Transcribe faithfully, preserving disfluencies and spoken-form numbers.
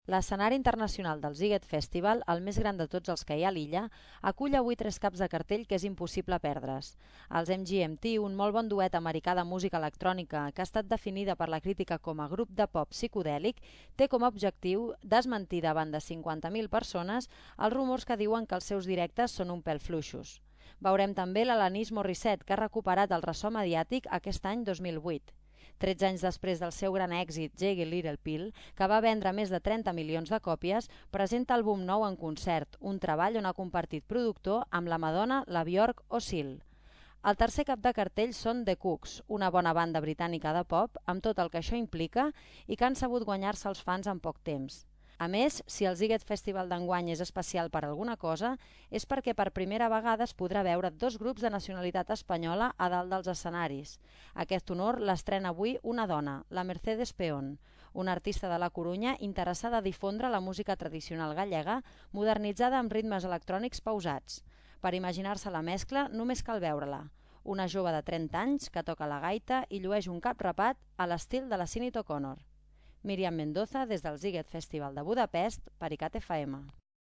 L'escenari internacional del Sziget Festival, el més gran de tots els que hi ha a l'illa, acull avui tres caps de cartell que és impossible perdre's. Els M G M T, un molt bon duet americà de música electrònica que ha estat definida per la crítica com a grup de pop psicodèlic, té com a objectiu desmentir davant de cinquanta mil persones els rumors que diuen que els seus directes són un pèl fluixos. Veurem també l'Alanis Morissette, que ha recuperat el ressò mediàtic aquest any dos mil vuit. tretze anys després del seu gran èxit Jagged Little Pill, que va vendre més de trenta milions de còpies, presenta àlbum nou en concert, un treball on ha compartit productor amb la Madonna, la Björk o Seal. El tercer cap de cartell són The Cooks, una bona banda britànica de pop, amb tot el que això implica i que han sabut guanyar-se els fans en poc temps. A més, si el Sziget Festival d'enguany és especial per alguna cosa, és perquè per primera vegada es podrà veure dos grups de nacionalitat espanyola a dalt dels escenaris. Aquest honor l'estrena avui una dona, la Mercedes Peón, una artista de la Corunya interessada a difondre la música tradicional gallega, modernitzada amb ritmes electrònics pausats. Per imaginar-se la mescla, només cal veure-la. Una jove de trenta anys que toca la gaita i llueix un cap rapat a l'estil de la Sinead O'Connor. Míriam Mendoza, des del Sziget Festival de Budapest, per ICAT F M.